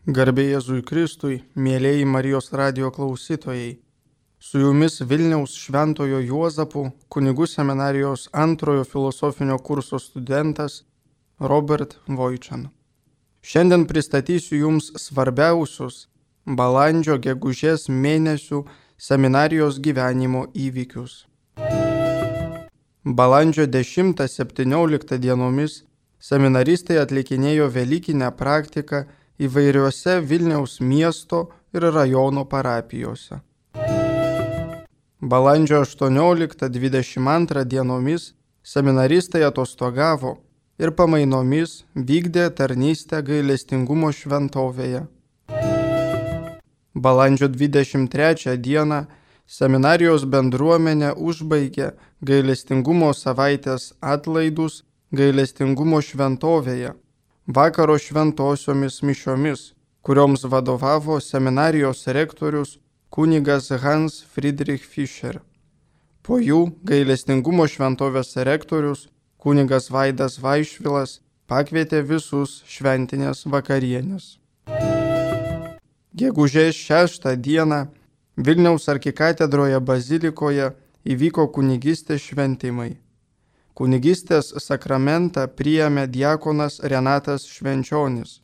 Garbė Jėzui Kristui, mėlieji Marijos radijo klausytojai. Su jumis Vilniaus Šventojo Juozapo kunigų seminarijos antrojo filosofinio kurso studentas Robert Voičan. Šiandien pristatysiu jums svarbiausius balandžio gegužės mėnesių seminarijos gyvenimo įvykius. Balandžio 10-17 dienomis seminaristai atlikinėjo velykinę praktiką įvairiuose Vilniaus miesto ir rajono parapijose. Balandžio 18-22 dienomis seminaristai atostogavo ir pamainomis vykdė tarnystę gailestingumo šventovėje. Balandžio 23 dieną seminarijos bendruomenė užbaigė gailestingumo savaitės atlaidus gailestingumo šventovėje vakaro šventosiomis mišiomis, kurioms vadovavo seminarijos rektorius kunigas Hans Friedrich Fischer. Po jų gailestingumo šventovės rektorius kunigas Vaidas Vaišvilas pakvietė visus šventinės vakarienės. Gegužės 6 dieną Vilniaus arkikatedroje bazilikoje įvyko kunigystės šventimai. Kunigystės sakramentą priėmė diakonas Renatas Švenčionis.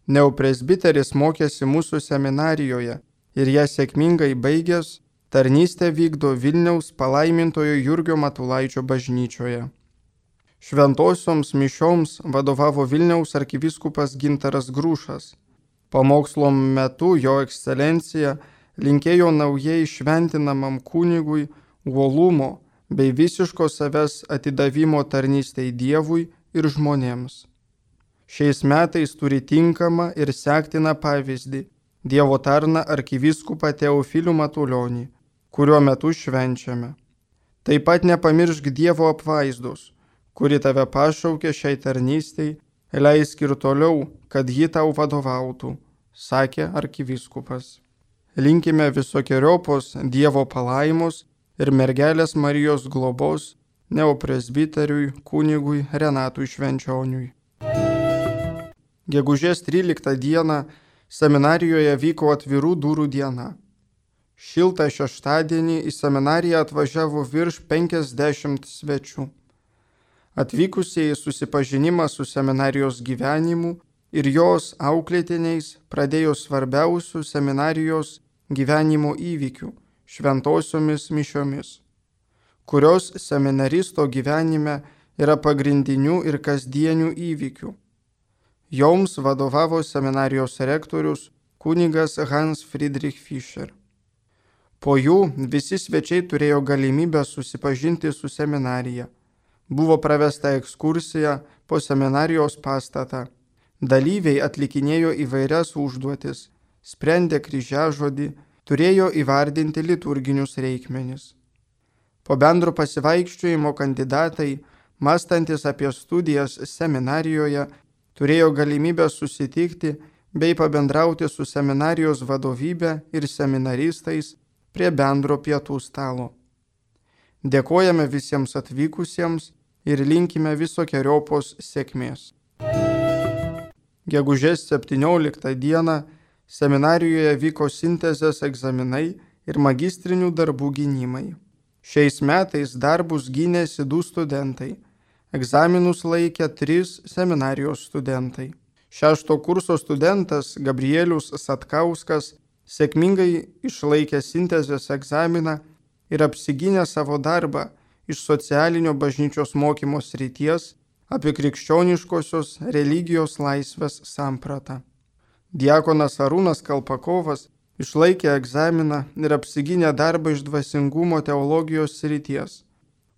Neopresbiteris mokėsi mūsų seminarijoje ir ją sėkmingai baigęs tarnystę vykdo Vilniaus palaimintojo Jurgio Matulaičio bažnyčioje. Šventosioms mišioms vadovavo Vilniaus arkivyskupas Gintaras Grušas. Pamokslo metu jo ekscelencija linkėjo naujai šventinamam kunigui uolumo bei visiško savęs atidavimo tarnystei Dievui ir žmonėms. Šiais metais turi tinkamą ir sektiną pavyzdį Dievo tarną arkivyskupą Teofilių Matulionį, kuriuo metu švenčiame. Taip pat nepamiršk Dievo apvaizdos, kuri tave pašaukė šiai tarnystei, leisk ir toliau, kad ji tau vadovautų, sakė arkivyskupas. Linkime visokiojopos Dievo palaimos ir mergelės Marijos globos neopresbiteriui kunigui Renatui Švenčioniui. Gegužės 13 dieną seminarijoje vyko atvirų durų diena. Šiltą šeštadienį į seminariją atvažiavo virš 50 svečių. Atvykusieji susipažinimą su seminarijos gyvenimu ir jos auklėtiniais pradėjo svarbiausių seminarijos gyvenimo įvykių šventosiomis mišiomis, kurios seminaristo gyvenime yra pagrindinių ir kasdienių įvykių. Joms vadovavo seminarijos rektorius kunigas Hans Friedrich Fischer. Po jų visi svečiai turėjo galimybę susipažinti su seminarija. Buvo pravesta ekskursija po seminarijos pastatą. Dalyviai atlikinėjo įvairias užduotis, sprendė kryžiažodį, turėjo įvardinti liturginius reikmenis. Po bendro pasivaikščiojimo kandidatai, mąstantis apie studijas seminarijoje, turėjo galimybę susitikti bei pabendrauti su seminarijos vadovybe ir seminaristais prie bendro pietų stalo. Dėkojame visiems atvykusiems ir linkime visokeriopos sėkmės. Gegužės 17 dieną seminarijoje vyko sintezės egzaminai ir magistrinių darbų gynimai. Šiais metais darbus gynėsi 2 studentai. Egzaminus laikė 3 seminarijos studentai. 6 kurso studentas Gabrielius Satkauskas sėkmingai išlaikė sintezės egzaminą ir apsigynė savo darbą iš socialinio bažnyčios mokymo srities apie krikščioniškosios religijos laisvės sampratą. Diakonas Arūnas Kalpakovas išlaikė egzaminą ir apsigynė darbą iš dvasingumo teologijos srities,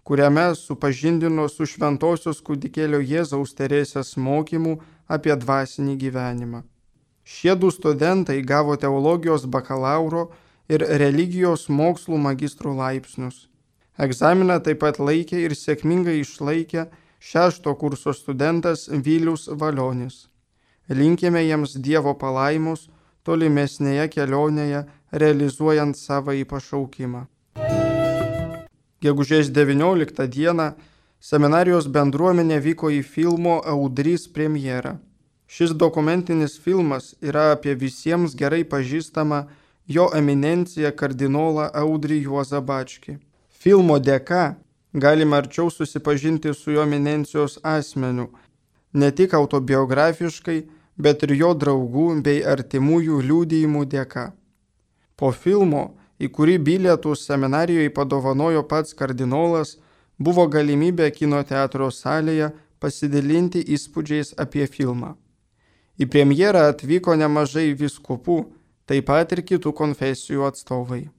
kuriame supažindino su šventosios kūdikėlio Jėzaus Teresės mokymu apie dvasinį gyvenimą. Šie 2 studentai gavo teologijos bakalauro ir religijos mokslų magistrų laipsnius. Egzaminą taip pat laikė ir sėkmingai išlaikė 6 kurso studentas Vilius Valionis. Linkime jiems Dievo palaimos tolimesnėje kelionėje, realizuojant savąjį pašaukimą. Gegužės 19 dieną seminarijos bendruomenė vyko į filmo Audrys premjerą. Šis dokumentinis filmas yra apie visiems gerai pažįstamą jo eminenciją kardinolą Audrį Juozą Bačkį. Filmo dėka galime arčiau susipažinti su jo eminencijos asmeniu, ne tik autobiografiškai, bet ir jo draugų bei artimųjų liudijimų dėka. Po filmo, į kurį bilietus seminarijoje padovanojo pats kardinolas, buvo galimybė kino teatro salėje pasidalinti įspūdžiais apie filmą. Į premjerą atvyko nemažai vyskupų, taip pat ir kitų konfesijų atstovai.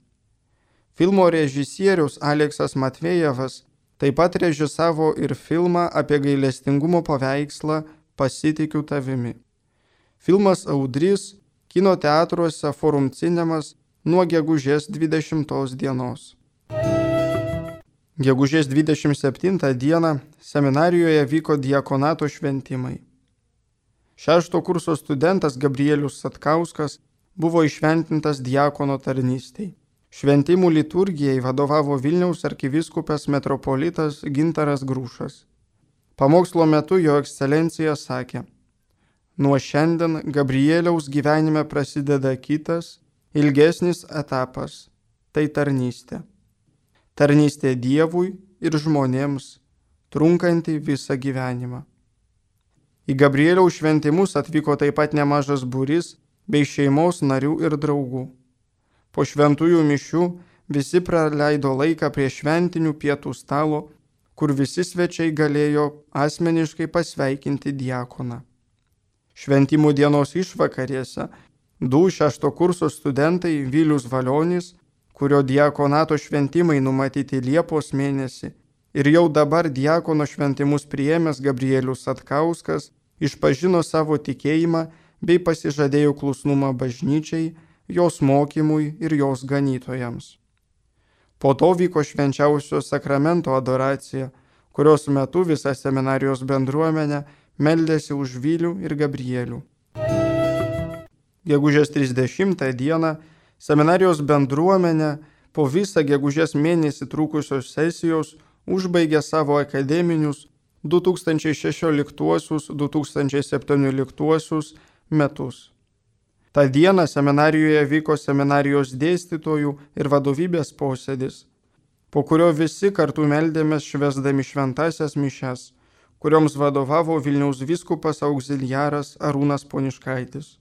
Filmo režisierius Aleksas Matvejevas taip pat režisavo ir filmą apie gailestingumo paveikslą Pasitikiu tavimi. Filmas Audrys kino teatruose Forum Cinemas nuo gegužės 20 dienos. Gegužės 27 dieną seminarijoje vyko diakonato šventimai. 6 kurso studentas Gabrielius Satkauskas buvo iššventintas diakono tarnystei. Šventimų liturgijai vadovavo Vilniaus arkivyskupas metropolitas Gintaras Grušas. Pamokslo metu jo ekscelencija sakė: nuo šiandien Gabrieliaus gyvenime prasideda kitas, ilgesnis etapas – tai tarnystė. Tarnystė Dievui ir žmonėms, trunkanti visą gyvenimą. Į Gabrieliaus šventimus atvyko taip pat nemažas būrys bei šeimos narių ir draugų. Po šventųjų mišių visi praleido laiką prie šventinių pietų stalo, kur visi svečiai galėjo asmeniškai pasveikinti diakoną. Šventimų dienos išvakarėse 6 kurso studentai Vilius Valionis, kurio diakonato šventimai numatyti Liepos mėnesį, ir jau dabar diakono šventimus priėmęs Gabrielius Satkauskas išpažino savo tikėjimą bei pasižadėjo klusnumą bažnyčiai, jos mokymui ir jos ganytojams. Po to vyko švenčiausio sakramento adoracija, kurios metu visa seminarijos bendruomenė meldėsi už Vilių ir Gabrielių. Gegužės 30 dieną seminarijos bendruomenė po visą gegužės mėnesį trukusios sesijos užbaigė savo akademinius 2016-2017 metus. Ta diena seminarijoje vyko seminarijos dėstytojų ir vadovybės posėdis, po kurio visi kartu meldėmės švęsdami šventasias mišias, kurioms vadovavo Vilniaus vyskupas auxiliaras Arūnas Poniškaitis.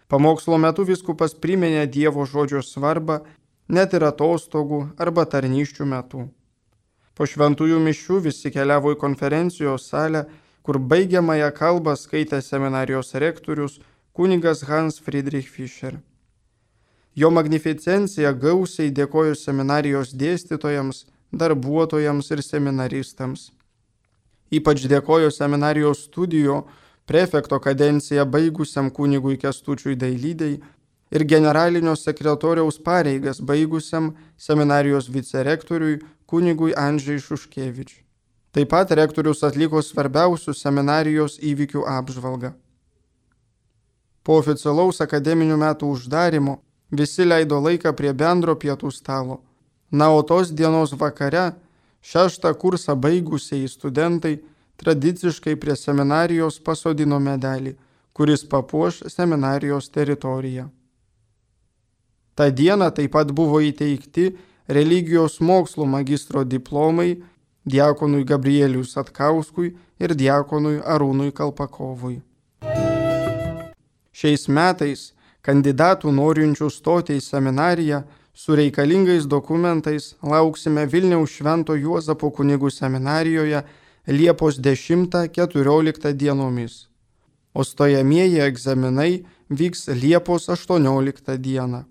Pamokslo metu vyskupas priminė Dievo žodžio svarbą net ir atostogų arba tarnysčių metu. Po šventųjų mišių visi keliavo į konferencijos salę, kur baigiamąją kalbą skaitė seminarijos rektorius kunigas Hans Friedrich Fischer. Jo magnificencija gausiai dėkojo seminarijos dėstytojams, darbuotojams ir seminaristams. Ypač dėkojo seminarijos studijų prefekto kadenciją baigusiam kunigui Kęstučiui Dailydei ir generalinio sekretoriaus pareigas baigusiam seminarijos vicerektoriui kunigui Andžei Šuškevič. Taip pat rektorius atliko svarbiausių seminarijos įvykių apžvalgą. Po oficialaus akademinių metų uždarimo visi leido laiką prie bendro pietų stalo. Na, o tos dienos vakare 6 kursą baigusieji studentai tradiciškai prie seminarijos pasodino medelį, kuris papuoš seminarijos teritoriją. Ta diena taip pat buvo įteikti religijos mokslų magistro diplomai diakonui Gabrieliui Satkauskui ir diakonui Arūnui Kalpakovui. Šiais metais kandidatų norinčių stoti į seminariją su reikalingais dokumentais lauksime Vilniaus Švento Juozapo kunigų seminarijoje Liepos 10-14 dienomis, o stojamieji egzaminai vyks Liepos 18 dieną.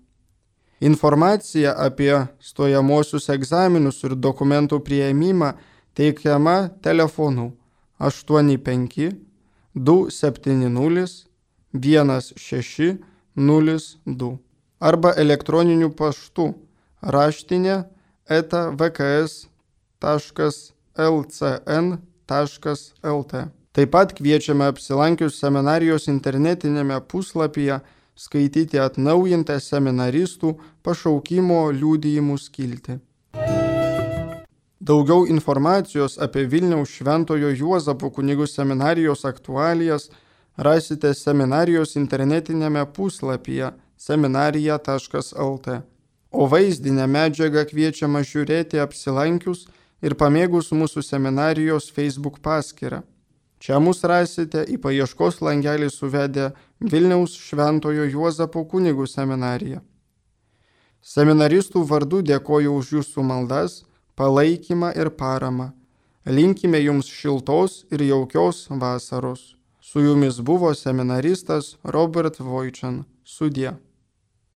Informacija apie stojamosius egzaminus ir dokumentų priėmimą teikiama telefonu 85 270 1602 arba elektroniniu paštu raštinė@vks.lcn.lt. Taip pat kviečiame apsilankius seminarijos internetinėme puslapyje skaityti atnaujintą seminaristų pašaukimo liudijimų skiltį. Daugiau informacijos apie Vilniaus Šventojo Juozapo kunigų seminarijos aktualijas rasite seminarijos internetinėme puslapyje seminarija.lt, o vaizdinę medžiagą kviečiama žiūrėti apsilankius ir pamėgus mūsų seminarijos Facebook paskyrą. Čia mus rasite į paieškos langelį suvedę Vilniaus Šventojo Juozapo kunigų seminariją. Seminaristų vardu dėkoju už jūsų maldas, palaikymą ir paramą. Linkime jums šiltos ir jaukios vasaros. Su jumis buvo seminaristas Robert Vojčan. Sudie.